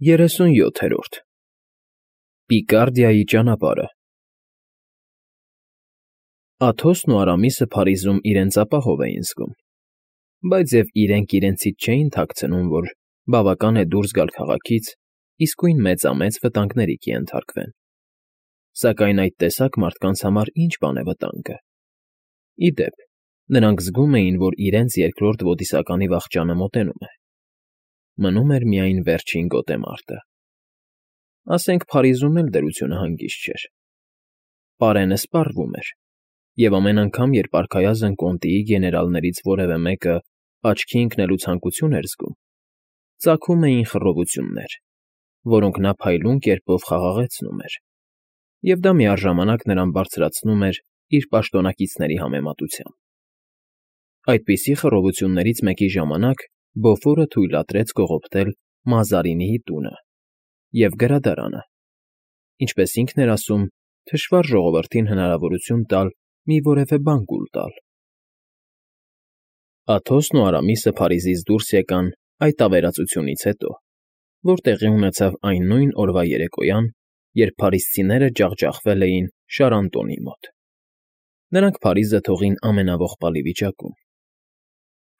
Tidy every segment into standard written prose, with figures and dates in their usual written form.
37-րդ Պիկարդիայի ճանապարհը Աթոսն ու Արամիսը Փարիզում իրենց ապահով էին զգում, բայց և իրենք իրենցից չէին թաքցնում, որ բավական է դուրս գալ քաղաքից, իսկույն մեծամեծ վտանգների կենթարկվեն, սակայն այդ տեսակ մարդկանց համար ինչ բան է վտանգը։ Ի դեպ, նրանք զգում էին, որ իրենց երկրորդ ոդիսականի վախճանը մոտենում է։ Մնում էր միայն վերջին գոտեմարտը։ Ասենք Փարիզում էլ դրությունը հանգիստ չէր։ Պարենը սպառվում էր, և ամեն անգամ, երբ արքայազն կոնտիի գեներալներից որևէ մեկը աչքի ընկնելու ցանկություն էր զգում, ծագում էին խռովություններ, որոնք նա փայլուն կերպով խաղաղեցնում էր, և դա միառժամանակ նրան բարձրացնում էր իր պաշտոնակիցների համեմատությամբ։ Այդպիսի խռովություններից մեկի ժամանակ Բոֆորը թույլատրեց կողոպտել Մազարինիի տունը և գրադարանը, ինչպես ինքն էր ասում, թշվառ ժողովրդին հնարավորություն տալ մի որևէ բան կուլ տալ։ Աթոսն ու Արամիսը Փարիզից դուրս եկան այդ ավերածությունից հետո, որ տեղի ունեցավ այն նույն օրվա երեկոյան, երբ փարիզցիները ջախջախվել էին Շարանտոնի մոտ։ Նրանք Փարիզը թողին ամենաողբալի վիճակում։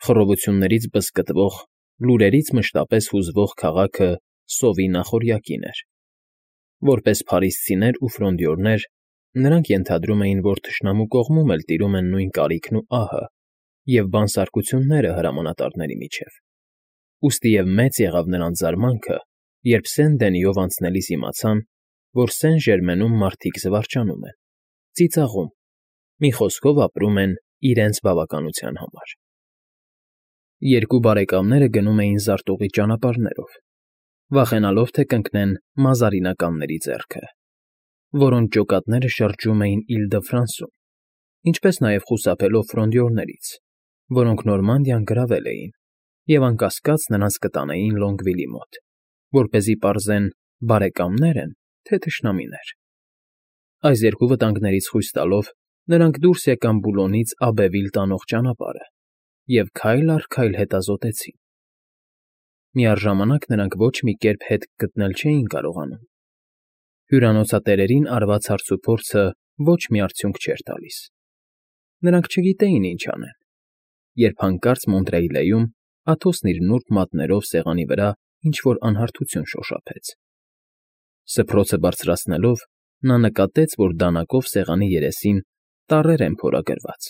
Խռովություններից բզկտվող, լուրերից մշտապես հուզվող քաղաքը սովի նախօրյակին էր։ Որպես փարիզցիներ ու ֆրոնդյորներ, նրանք ենթադրում էին, որ թշնամու կողմում էլ տիրում են նույն կարիքն ու ահը և բանսարկությունները հրամանատարների միջև։ Ուստի և մեծ եղավ նրանց զարմանքը, երբ Սեն֊Դենիով անցնելիս իմացան, որ Սեն֊Ժերմենում մարդիկ զվարճանում են, ծիծաղում, մի խոսքով ապրում են իրենց բավականության համար։ Երկու բարեկամները գնում էին զարտուղի ճանապարհներով, վախենալով, թե կընկնեն մազարինականների ձեռքը, որոնց ջոկատները շրջում էին Իլ֊դը֊Ֆրանսում, ինչպես նաև խուսափելով ֆրոնդյորներից, որոնք Նորմանդիան գրավել էին և անկասկած նրանց կտանեին Լոնգվիլի մոտ, որպեսզի պարզեն բարեկամնե՞ր են, թե թշնամիներ։ Այս երկու վտանգներից խույս տալով՝ նրանք դուրս եկան Բուլոնից Աբևիլ տանող ճանապարհը և քայլ առ քայլ հետազոտեցին։ Միառժամանակ նրանք ոչ մի կերպ հետք գտնել չէին կարողանում։ Հյուրանոցատերերին արված հարցուփորձը ոչ մի արդյունք չէր տալիս։ Նրանք չգիտեին ինչ անեն, երբ հանկարծ Մոնտրեյլեում Աթոսն իր նուրբ մատներով սեղանի վրա ինչ֊որ անհարթություն շոշափեց։ Սփռոցը բարձրացնելով՝ նա նկատեց, որ դանակով սեղանի երեսին տառեր են փորագրված,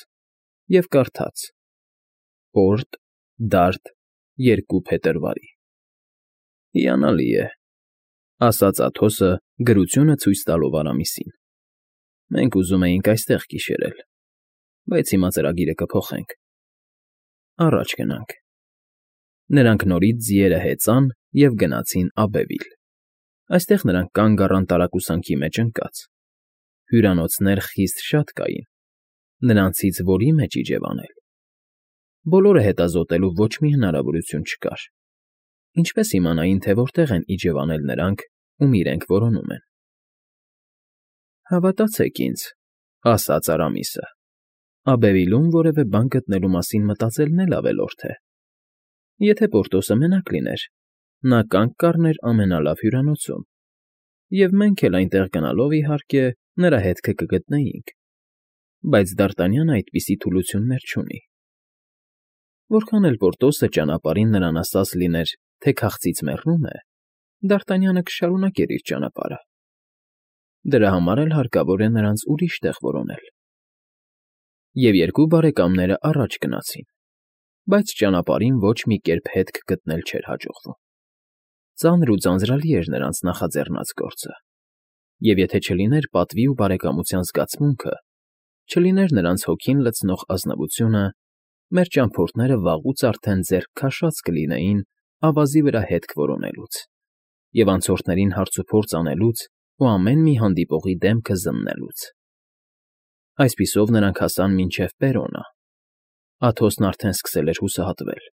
և կարդաց. «Պորտ, Դարդ, 2 փետրվարի»։ «Հիանալի է», ֊ ասաց Աթոսը գրությունը ցույց տալով Արամիսին։ «Մենք ուզում էինք այստեղ գիշերել, բայց հիմա ծրագիրը կփոխենք։ Առաջ գնանք»։ Նրանք նորից ձիերը հեծան և գնացին Աբևիլ։ Այստեղ նրանք կանգ առան տարակուսանքի մեջ ընկած։ Հյուրանոցներ խիստ շատ կային, նրանցից որի մեջ իջևանել։ Բոլորը հետազոտելու ոչ մի հնարավորություն չկար։ Ինչպես իմանային, թե որտեղ են իջևանել նրանք, ում իրենք որոնում են։ «Հավատացեք ինձ», ֊ ասաց Արամիսը, «Աբևիլում որևէ բան գտնելու մասին մտածելն էլ ավելորդ է։ Եթե Պորտոսը մենակ լիներ, նա կանգ կառներ ամենալավ հյուրանոցում, և մենք էլ այնտեղ գնալով, իհարկե, նրա հետքը կգտնեինք, բայց Դ'Արտանյանը այդպիսի թուլություններ չունի։ Որքան էլ Պորտոսը ճանապարհին նրան ասած լիներ, թե քաղցից մեռնում է, Դ'Արտանյանը կշարունակեր իր ճանապարհը։ Դրա համար էլ հարկավոր է նրանց ուրիշ տեղ որոնել»։ Եվ երկու բարեկամները առաջ գնացին, բայց ճանապարհին ոչ մի կերպ հետք գտնել չէր հաջողվում։ Ծանր ու ձանձրալի էր նրանց նախաձեռնած գործը, և եթե չլիներ պատվի ու բարեկամության զգացմունքը, չլիներ նրանց հոգին լցնող ազնվությունը, մեր ճամփորդները վաղուց արդեն ձեռք քաշած կլինեին ավազի վրա հետք որոնելուց և անցորդներին հարցուփորձ անելուց ու ամեն մի հանդիպողի դեմքը զննելուց։ Այսպիսով նրանք հասան մինչև Պերոնը։ Աթոսն արդեն սկսել էր հուսահատվել։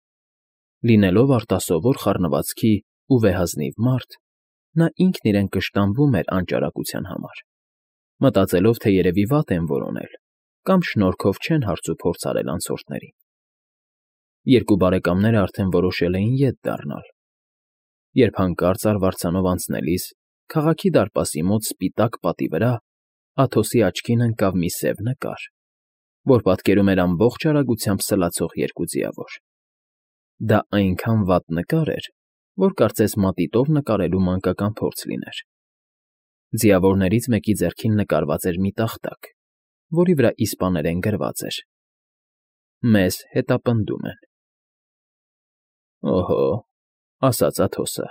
Լինելով արտասովոր խառնվածքի ու վեհազնիվ մարդ, նա ինքն իրեն կշտամբում էր անճարակության համար, մտածելով, թե երևի վատ են որոնել կամ շնորհքով չեն հարցուփորձ արել անցորդներին։ Երկու բարեկամները արդեն որոշել էին ետ դառնալ։ երբ հանկարծ արվարձանով անցնելիս քաղաքի դարպասի մոտ սպիտակ պատի վրա Աթոսի աչքին ընկավ մի սև նկար, որ պատկերում էր ամբողջ արագությամբ սլացող երկու ձիավոր. դա այնքան վատ նկար էր, որ կարծես մատիտով նկարելու մանկական փորձ լիներ. ձիավորներից մեկի ձեռքին նկարված էր մի տախտակ, որի վրա իսպաներեն գրված էր. «Մեզ հետապնդում են»։ «Օհո», ասաց Աթոսը,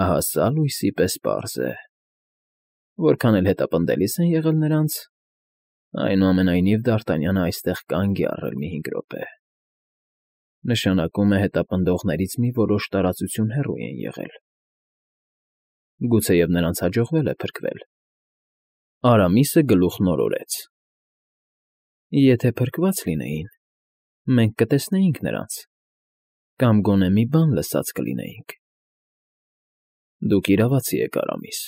ահա սա լույսի պես պարզ է. որքան էլ հետապնդելիս են եղել նրանց, այնուամենայնիվ Դ'Արտանյանը այստեղ կանգ է առել մի 5 րոպե. նշանակում է հետապնդողներից մի որոշ տարածություն հեռու են եղել. գուցեև նրանց հաջողվել է փրկվել»։ Արամիսը գլուխն օրորեց. «Եթե փրկված լինեին, մենք կտեսնեինք նրանց, կամ գոնե մի բան լսած կլինեինք»։ «Դուք իրավացի եք, Արամիս,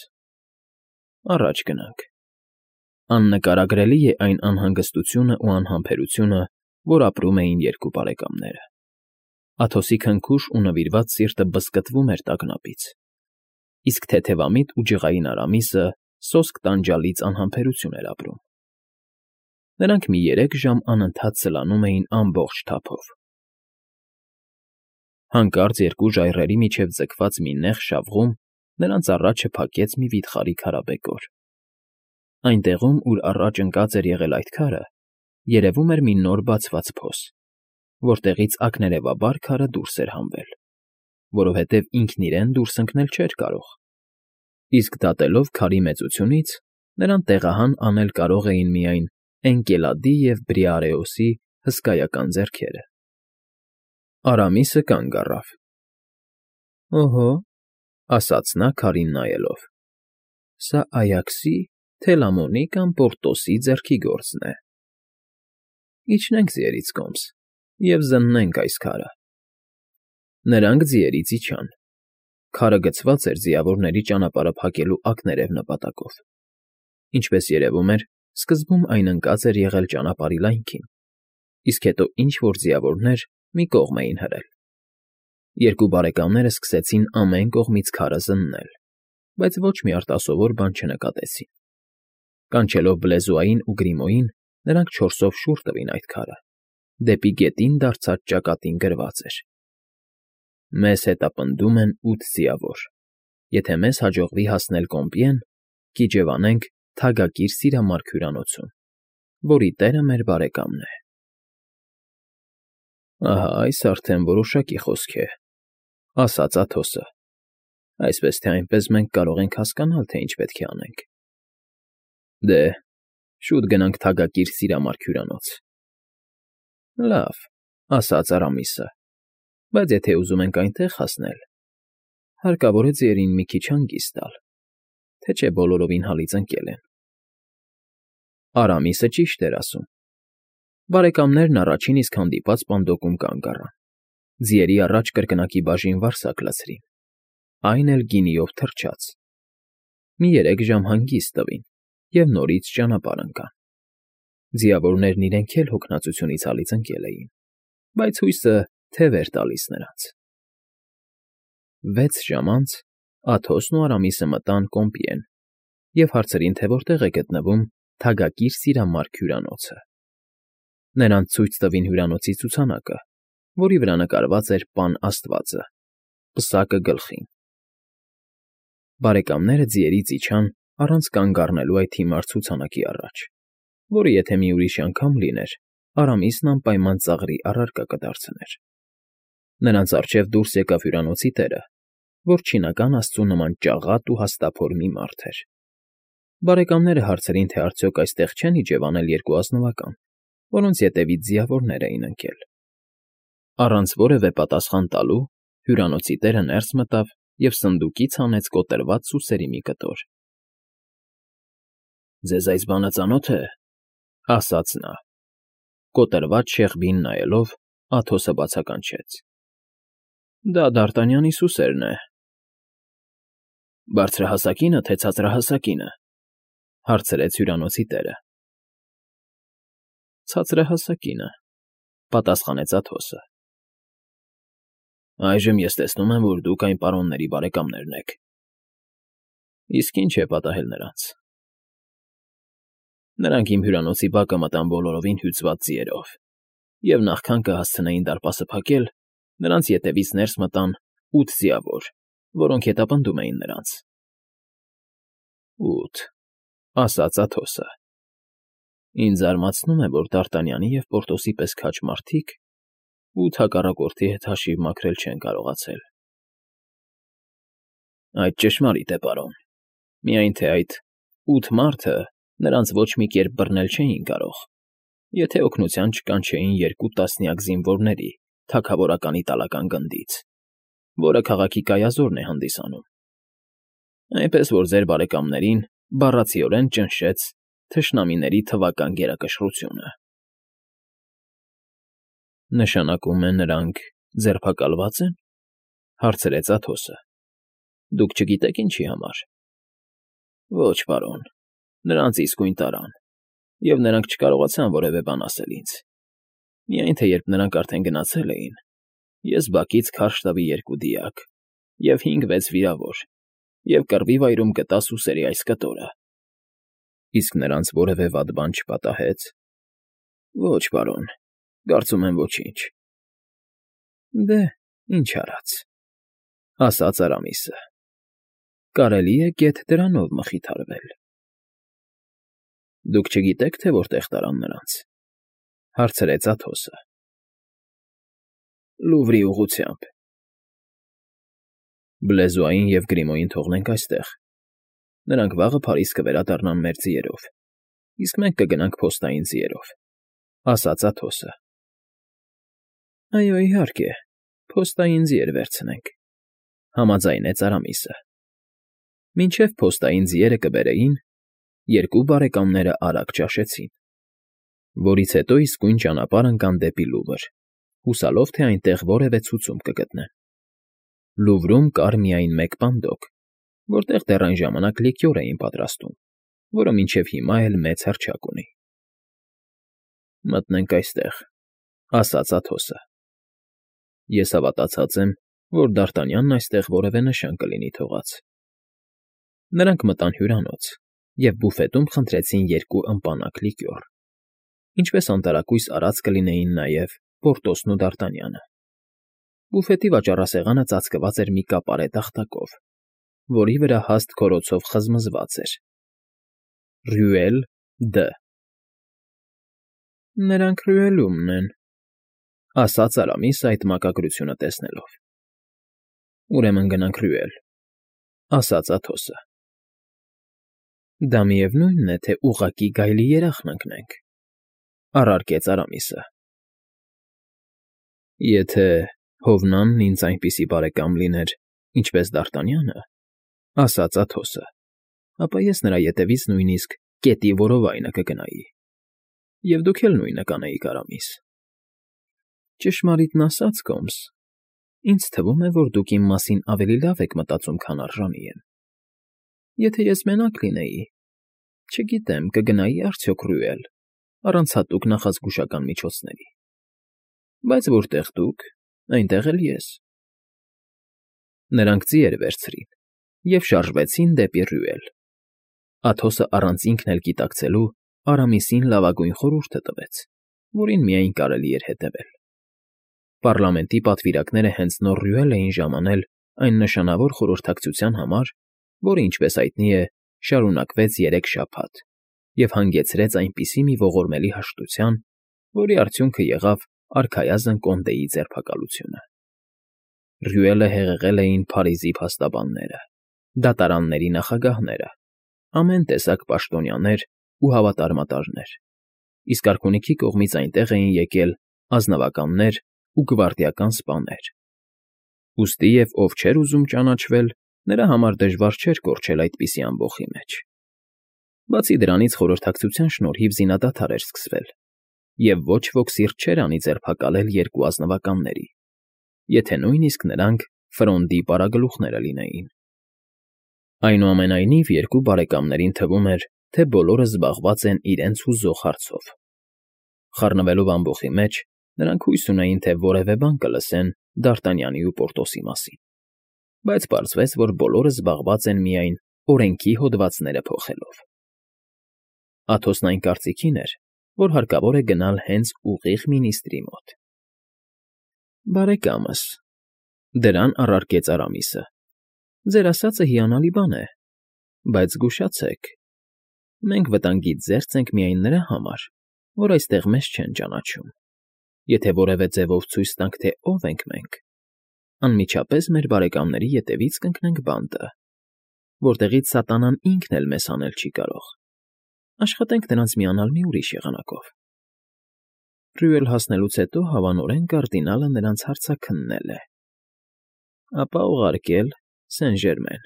առաջ գնանք»։ Աննկարագրելի է այն անհանգստությունն ու անհամբերությունը, որ ապրում էին երկու բարեկամները։ Աթոսի քնքուշ ու նվիրված սիրտը բզկտվում էր տագնապից, իսկ թեթևամիտ ու ջղային Արամիսը սոսկ տանջալից անհամբերություն էր ապրում։ Նրանք մի 3 ժամ անընդհատ սլանում էին ամբողջ թափով։ Հանկարծ երկու ժայռերի միջև ձգված մի նեղ շավղում նրանց առաջը փակեց մի վիթխարի քարաբեկոր։ Այնտեղում, ուր առաջ ընկած էր եղել այդ քարը, երևում էր մի նոր բացված փոս, որտեղից ակներևաբար քարը դուրս էր հանվել, որովհետև ինքն իրեն դուրս ընկնել չէր կարող, իսկ դատելով քարի մեծությունից, նրան տեղահան անել կարող էին միայն Էնկելադի և Բրիարեոսի հսկայական ձեռքերը։ Արամիսը կանգ առավ։ «Օհո», ասաց նա քարին նայելով, «սա Այաքսի, Թելամոնի կամ Պորտոսի ձեռքի գործն է։ Իջնենք ձիերից կոմս և զննենք այս քարը»։ Նրանք ձիերից իջան։ Քարը գցված էր ձիավորների ճանապարհը փակելու ակներև նպատակով։ Ինչպես երևում էր, սկզբում այն ընկած էր եղել ճանապարհի լայնքին, իսկ հետո ինչ֊որ ձիավորներ մի կողմ էին հրել։ Երկու բարեկամները սկսեցին ամեն կողմից քարը զննել, բայց ոչ մի արտասովոր բան չնկատեցին։ Կանչելով Բլեզուային ու Գրիմոյին, նրանք 4-ով շուռ տվին այդ քարը, դեպի գետին դարձած ճակատին գրված էր. «Մեզ հետապնդում են 8 ձիավոր։ Եթե մեզ հաջողվի հասնել Կոմպիեն, կիջևանենք Թագակիր Սիրամարգ հյուրանոցում, որի տերը մեր բարեկամն է»։ «Ահա այս արդեն որոշակի խոսք է», ասաց Աթոսը։ «Այսպես թե այնպես մենք կարող ենք հասկանալ, թե ինչ պետք է անենք»։ «Դե, շուտ գնանք Թագակիր Սիրամարգ հյուրանոց»։ «Լավ», ասաց Արամիսը, «բայց եթե ուզում ենք այնտեղ հասնել, հարկավոր է ձիերին մի քիչ հանգիստ տալ, թե չէ բոլորովին հալից ընկել են»։ Արամիսը ճիշտ էր ասում։ Բարեկամներն առաջին իսկ հանդիպած պանդոկում կանգ առան։ Ձիերի առաջ կրկնակի բաժին վարսակ լցրին, այն էլ գինիով թրջած։ Մի 3 ժամ հանգիստ տվին և նորից ճանապարհ ընկան։ Ձիավորներն իրենք էլ հոգնածությունից հալից ընկել էին, բայց հույսը թև էր տալիս նրանց։ 6 ժամ անց Աթոսն ու Արամիսը մտան Կոմպիեն և հարցրին, թե որտեղ է գտնվում Թագակիր Սիրամարգ հյուրանոցը։ Նրանց ցույց տվին հյուրանոցի ցուցանակը, որի վրա նկարված էր Պան Աստվածը, պսակը գլխին։ Բարեկամները ձիերից իջան առանց կանգ առնելու այդ հիմար ցուցանակի առաջ, որը եթե մի ուրիշ անգամ լիներ, Արամիսն անպայման ծաղրի առարկա կդարձներ։ Նրանց առջև դուրս եկավ հյուրանոցի տերը, որ չինական աստծու նման ճաղատ ու հաստափոր մի մարդ էր։ Բարեկամները հարցրին, թե արդյոք այստեղ չեն իջևանել երկու ազնվական, որոնց ետևից ձիավորներ էին ընկել։ Առանց որևէ պատասխան տալու հյուրանոցի տերը ներս մտավ և սնդուկից հանեց կոտրված սուսերի մի կտոր։ «Ձեզ այս բանը ծանո՞թ է», ասաց նա։ Կոտրված շեղբին նայելով, Աթոսը բացականչեց. «Դա Դ'Արտանյանի սուսերն է»։ «Բարձրահասակի՞նը, թե ցածրահասակի՞նը», հարցրեց հյուրանոցի տերը։ «Ցածրահասակինը», պատասխանեց Աթոսը։ Այժմ ես տեսնում եմ, որ դուք այն պարոնների բարեկամներն եք։ Իսկ ինչ է պատահել նրանց։ Նրանք իմ հյուրանոցի բակը մտան բոլորովին հյուծված ձիերով, և նախքան կհասցնեին դարպասը փակել, նրանց ետևից ներս մտան 8 ձիավոր, որոնք հետապնդում էին նրանց։ 8, ասաց Աթոսը։ Ինձ զարմացնում է, որ Դ'Արտանյանի և Պորտոսի պես քաջ մարդիկ 8 հակառակորդի հետ հաշիվ մաքրել չեն կարողացել։ Այդ ճշմարիտ է, պարոն, միայն թե այդ 8 մարդը նրանց ոչ մի կերպ բռնել չէին կարող, եթե օգնության չկանչեին 2 տասնյակ զինվորների թագավորական իտալական գնդից, որը քաղաքի կայազորն է հանդիսանում։ Այնպես որ ձեր բարեկամներին բառացիորեն ճնշեց թշնամիների թվական գերակշռությունը։ Նշանակում է նրանք ձերբակալվա՞ծ են, հարցրեց Աթոսը։ Դուք չգիտեք ինչի համար։ Ոչ, պարոն, նրանց իսկույն տարան, և նրանք չկարողացան որևէ բան ասել ինձ։ Միայն թե երբ նրանք արդեն գնացել էին, ես բակից քարշ տվի 2 դիակ և 5-6 վիրավոր, և կռվի վայրում գտա սուսերի այս կտորը։ Իսկ նրանց որևէ վատ բան չպատահե՞ց։ Ոչ, պարոն, կարծում եմ ոչինչ։ Դե, ինչ արած, ասաց Արամիսը։ Կարելի է գեթ դրանով մխիթարվել։ Դուք չգիտեք, թե որտեղ տարան նրանց, հարցրեց Աթոսը։ Լուվրի ուղղությամբ։ Բլեզուային և Գրիմոյին թողնենք այստեղ։ Նրանք վաղը Փարիզ կվերադառնան մեր ձիերով, իսկ մենք կգնանք փոստային ձիերով, ասաց Աթոսը։ Այո, իհարկե, փոստային ձիեր վերցնենք, համաձայնեց Արամիսը։ Մինչև փոստային ձիերը կբերեին, 2 բարեկամները արագ ճաշեցին, որից հետո իսկույն ճանապարհ ընկան դեպի Լուվր, հուսալով, թե այնտեղ որևէ ցուցում կգտնեն։ Լուվրում կար միայն մեկ պանդոկ, որտեղ դեռ այն ժամանակ լիկյոր էին պատրաստում, որը մինչև հիմա էլ մեծ հռչակ ունի։ Մտնենք այստեղ, ասաց Աթոսը։ Ես հավատացած եմ, որ Դ'Արտանյանն այստեղ որևէ նշան կլինի թողած։ Նրանք մտան հյուրանոց և բուֆետում խնդրեցին 2 ըմպանակ լիկյոր, ինչպես անտարակույս արած կլինեին նաև Պորտոսն ու Դ'Արտանյանը։ Բուֆետի վաճառասեղանը ծածկված էր մի կապարե տախտակով, որի վրա հաստ քորոցով խզմզված էր. Ռյուել Դ. Նրանք Ռյուելումն են, ասաց Արամիսը այդ մակագրությունը տեսնելով։ Ուրեմն գնանք Ռյուել, ասաց Աթոսը։ Դա միևնույն է, թե ուղղակի գայլի երախն ընկնենք, առարկեց Արամիսը։ Եթե Հովնանն ինձ այնպիսի բարեկամ լիներ, ինչպես Դ'Արտանյանը, ասաց Աթոսը, ապա ես նրա ետևից նույնիսկ կետի որովայնը կգնայի, և դուք էլ նույնը կանեիք, Արամիս։ Ճշմարիտն ասած, Կոմս, ինձ թվում է, որ դուք իմ մասին ավելի լավ եք մտածում, քան արժանի եմ։ Եթե ես մենակ լինեի, չգիտեմ, կգնայի արդյոք Ռյուել, առանց հատուկ նախազգուշական միջոցների։ Բայց որտեղ դուք, այնտեղ էլ ես։ Նրանք ձիեր վերցրին և շարժվեցին դեպի Ռյուել։ Աթոսը առանց ինքն էլ գիտակցելու Արամիսին լավագույն խորհուրդը տվեց, որին միայն կարելի էր հետևել։ Պառլամենտի պատվիրակները հենց նոր Ռյուել էին ժամանել այն նշանավոր խորհրդակցության համար, որը, ինչպես հայտնի է, շարունակվեց 3 շաբաթ և հանգեցրեց այնպիսի մի ողորմելի հաշտության, որի արդյունքը եղավ արքայազն Կոնդեի ձերբակալությունը։ Ռյուելը հեղեղել էին Փարիզի փաստաբանները, դատարանների նախագահները, ամեն տեսակ պաշտոնյաներ ու հավատարմատարներ, իսկ արքունիքի կողմից այնտեղ էին եկել ազնվականներ ու գվարդիական սպաներ։ Ուստի և ով չէր ուզում ճանաչվել, նրա համար դժվար չէր կորչել այդպիսի ամբոխի մեջ։ Բացի դրանից խորհրդակցության շնորհիվ զինադադար էր սկսվել, և ոչ ոք սիրտ չէր անի ձերբակալել 2 ազնվականների, եթե նույնիսկ նրանք Ֆրոնդի պարագլուխները լինեին։ Այնուամենայնիվ 2 բարեկամներին թվում էր, թե բոլորը զբաղված են իրենց հուզող հարցով։ Խառնվելով ամբոխի մեջ, Նրանք հույս ունեին, թե որևէ բան կլսեն Դ'Արտանյանի ու Պորտոսի մասին, բայց պարզվեց, որ բոլորը զբաղված են միայն օրենքի հոդվածները փոխելով։ Աթոսն այն կարծիքին էր, որ հարկավոր է գնալ հենց ուղիղ մինիստրի մոտ։ Բարեկամս, դրան առարկեց Արամիսը, ձեր ասածը հիանալի բան է, բայց զգուշացեք, մենք վտանգից զերծ ենք միայն նրա համար, որ այստեղ մեզ չեն ճանաչում։ Եթե որևէ ձևով ցույց տանք, թե ով ենք մենք, անմիջապես մեր բարեկամների ետևից կընկնենք բանտը, որտեղից սատանան ինքն էլ մեզ հանել չի կարող։ Աշխատենք նրանց միանալ մի ուրիշ եղանակով։ Ռյուել հասնելուց հետո հավանորեն կարդինալը նրանց հարցաքննել է, ապա ուղարկել Սեն֊Ժերմեն։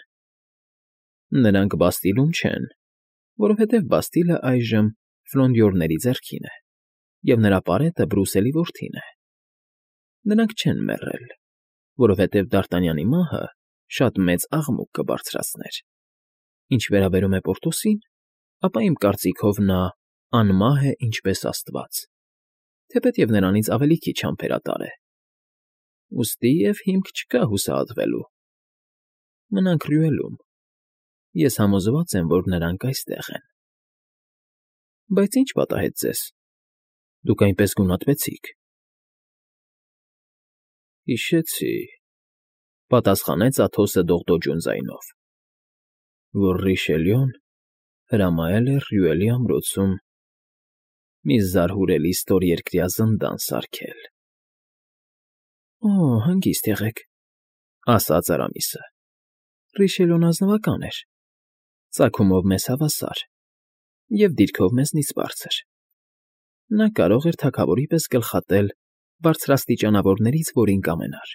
Նրանք Բաստիլում չեն, որովհետև Բաստիլը այժմ Ֆլոնդյորների ձեռքին է, և նրա պարետը Բրուսելի որդին է։ Նրանք չեն մեռել, որովհետև Դ'Արտանյանի մահը շատ մեծ աղմուկ կբարձրացներ։ Ինչ վերաբերում է Պորտոսին, ապա իմ կարծիքով նա անմահ է ինչպես Աստված, թեպետև նրանից ավելի քիչ համբերատար է։ Ուստի և հիմք չկա հուսահատվելու։ Մնանք Ռյուելում։ Ես համոզված եմ, որ նրանք այստեղ են։ Բայց ի՞նչ պատահեց ձեզ։ Դուք այնպես գունատվեցիք։ Հիշեցի, պատասխանեց Աթոսը դողդոջուն ձայնով, որ Ռիշելյուն հրամայել է Ռյուելի ամրոցում մի զարհուրելի ստորերկրյա զնդան սարքել։ Օ, հանգիստ եղեք, ասաց Արամիսը։ Ռիշելյուն ազնվական էր, ծագումով մեզ հավասար և դիրքով մեզնից բարձր։ Նա կարող էր թագավորի պես գլխատել բարձրաստիճանավորներից որին կամենար։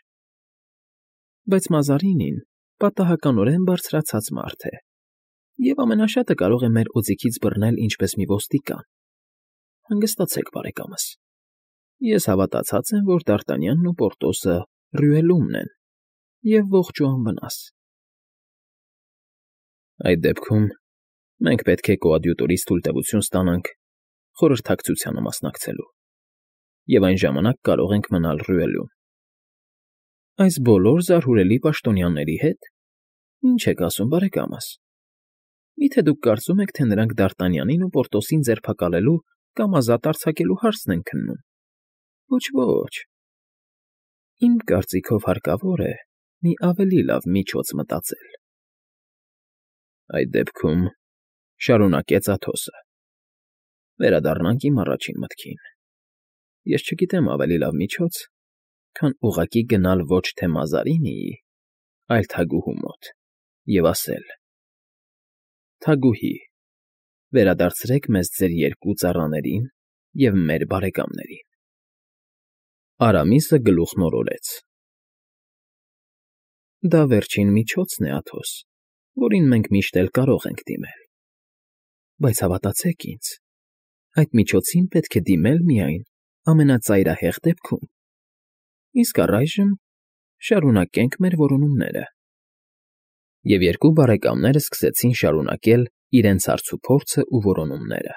Բայց Մազարինին պատահականորեն բարձրացած մարդ է, և ամենաշատը կարող է մեր օձիքից բռնել ինչպես մի ոստիկան։ Հանգստացեք, բարեկամս։ Ես հավատացած եմ, որ Դ'Արտանյանն ու Պորտոսը Ռյուելումն են և ողջ ու անվնաս։ Այդ դեպքում մենք պետք է կոադյուտորից թույլտվություն ստանանք խորհրդակցությանը մասնակցելու, և այն ժամանակ կարող ենք մնալ Ռյուելում։ Այս բոլոր զարհուրելի պաշտոնյաների հետ։ Ինչ եք ասում, բարեկամս։ Մի՞թե դուք կարծում եք, թե նրանք Դ'Արտանյանին ու Պորտոսին ձերբակալելու կամ ազատ արձակելու հարցն են քննում։ Ոչ, ոչ։ Իմ կարծիքով հարկավոր է մի ավելի լավ միջոց մտածել։ Այդ դեպքում, շարունակեց Աթոսը, վերադառնանք իմ առաջին մտքին։ Ես չգիտեմ ավելի լավ միջոց, քան ուղղակի գնալ ոչ թե Մազարինիի, այլ թագուհու մոտ և ասել. «Թագուհի, վերադարձրեք մեզ ձեր երկու ծառաներին և մեր բարեկամներին»։ Արամիսը գլուխն օրորեց։ Դա վերջին միջոցն է, Աթոս, որին մենք միշտ էլ կարող ենք դիմել։ Բայց հավատացեք ինձ, այդ միջոցին պետք է դիմել միայն ամենածայրահեղ դեպքում։ Իսկ առայժմ շարունակենք մեր որոնումները։ Եվ երկու բարեկամները սկսեցին շարունակել իրենց հարցուփորձն ու որոնումները։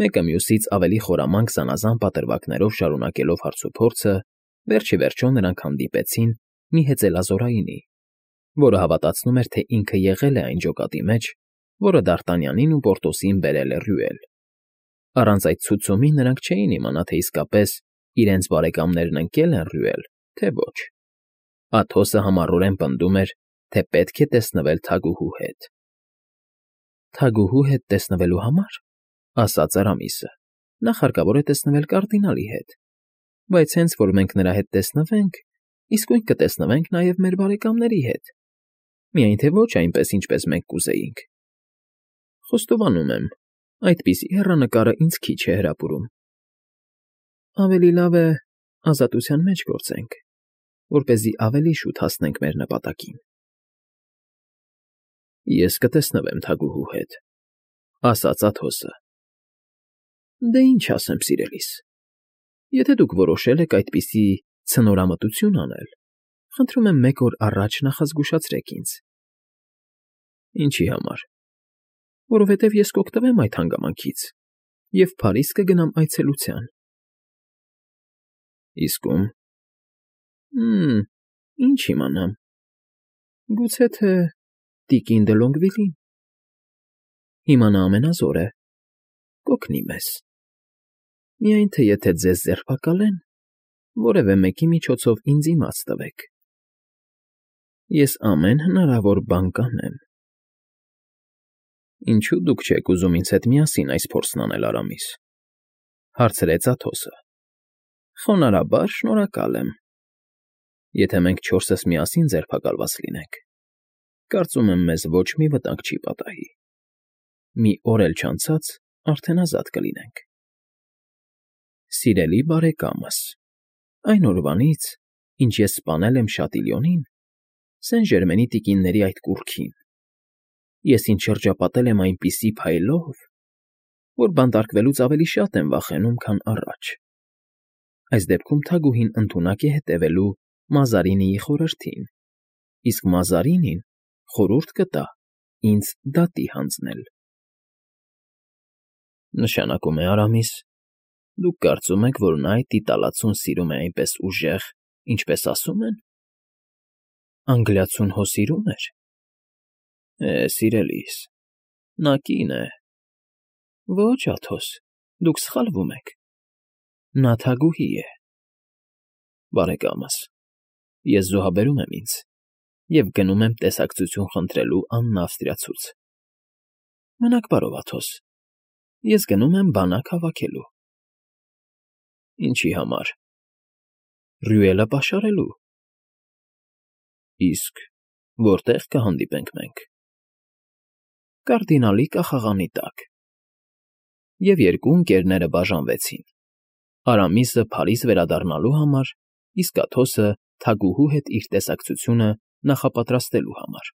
Մեկը մյուսից ավելի խորամանկ զանազան պատրվակներով շարունակելով հարցուփորձը, վերջիվերջո նրանք հանդիպեցին մի հեծելազորայինի, որը հավատացնում էր, թե ինքը եղել է այն ջոկատի մեջ, որը Դ'Արտանյանին ու Պորտոսին բերել է Ռյուել։ Առանց այդ ցուցումի նրանք չէին իմանա, թե իսկապես իրենց բարեկամներն ընկել են Ռյուել, թե ոչ։ Աթոսը համառորեն պնդում էր, թե պետք է տեսնվել թագուհու հետ։ Թագուհու հետ տեսնվելու համար, ասաց Արամիսը, նախ հարկավոր է տեսնվել կարդինալի հետ, բայց հենց որ մենք նրա հետ տեսնվենք, իսկույն կտեսնվենք նաև մեր բարեկամների հետ, միայն թե ոչ այնպես, ինչպես մենք կուզեինք։ Խոստովանում եմ, այդպիսի հեռանկարը ինձ քիչ է հրապուրում։ Ավելի լավ է ազատության մեջ գործենք, որպեսզի ավելի շուտ հասնենք մեր նպատակին։ Ես կտեսնվեմ թագուհու հետ, ասաց Աթոսը։ Դե ինչ ասեմ, սիրելիս, եթե դուք որոշել եք այդպիսի ցնորամտություն անել, խնդրում եմ մեկ օր առաջ նախազգուշացրեք ինձ։ Ինչի համար։ Որովհետև ես կօգտվեմ այդ հանգամանքից և Փարիզ կգնամ այցելության։ Իսկ ում։ Ինչ իմանամ։ Գուցե թե տիկին Դե Լոնգվիլին։ Հիմա նա ամենազոր է, կօգնի մեզ։ Միայն թե եթե ձեզ ձերբակալեն, որևէ մեկի միջոցով ինձ իմաց տվեք։ Ես ամեն հնարավոր բան կանեմ։ Ինչո՞ւ դուք չեք ուզում ինձ հետ միասին այս փորձն անել, Արամիս,֊ հարցրեց Աթոսը։ Խոնարհաբար շնորհակալ եմ։ Եթե մենք չորսս միասին ձերբակալված լինենք, կարծում եմ, մեզ ոչ մի վտանգ չի պատահի։ Մի օր էլ չանցած արդեն ազատ կլինենք։ Սիրելի բարեկամս, այն օրվանից, ինչ ես սպանել եմ Շատիլյոնին, Սեն Ժերմենի տիկինների այդ կուռքին, ես ինձ շրջապատել եմ այնպիսի փայլով, որ բանտարկվելուց ավելի շատ եմ վախենում, քան առաջ։ Այս դեպքում թագուհին ընդունակ է հետևելու Մազարինիի խորհրդին, իսկ Մազարինին խորհուրդ կտա ինձ դատի հանձնել։ Նշանակում է, Արամիս, դուք կարծում եք, որ նա այդ տիտալացուն սիրում է այնպես ուժեղ, ինչպես ասում են։ Անգլիացուն հո սիրում էր։ Սիրելիս, նա կին է։ Ոչ, Աթոս, դուք սխալվում եք։ Նա թագուհի է։ Բարեկամս, ես զոհաբերում եմ ինձ և գնում եմ տեսակցություն խնդրելու Աննա Ավստրիացուց։ Մնաք բարով, Աթոս, ես գնում եմ բանակ հավաքելու։ Ինչի համար։ Ռյուելը պաշարելու։ Իսկ որտե՞ղ կհանդիպենք մենք։ Կարդինալի կախաղանի տակ։ Եվ երկու ընկերները բաժանվեցին. Արամիսը Փարիզ վերադառնալու համար, իսկ Աթոսը թագուհու հետ իր տեսակցությունը նախապատրաստելու համար։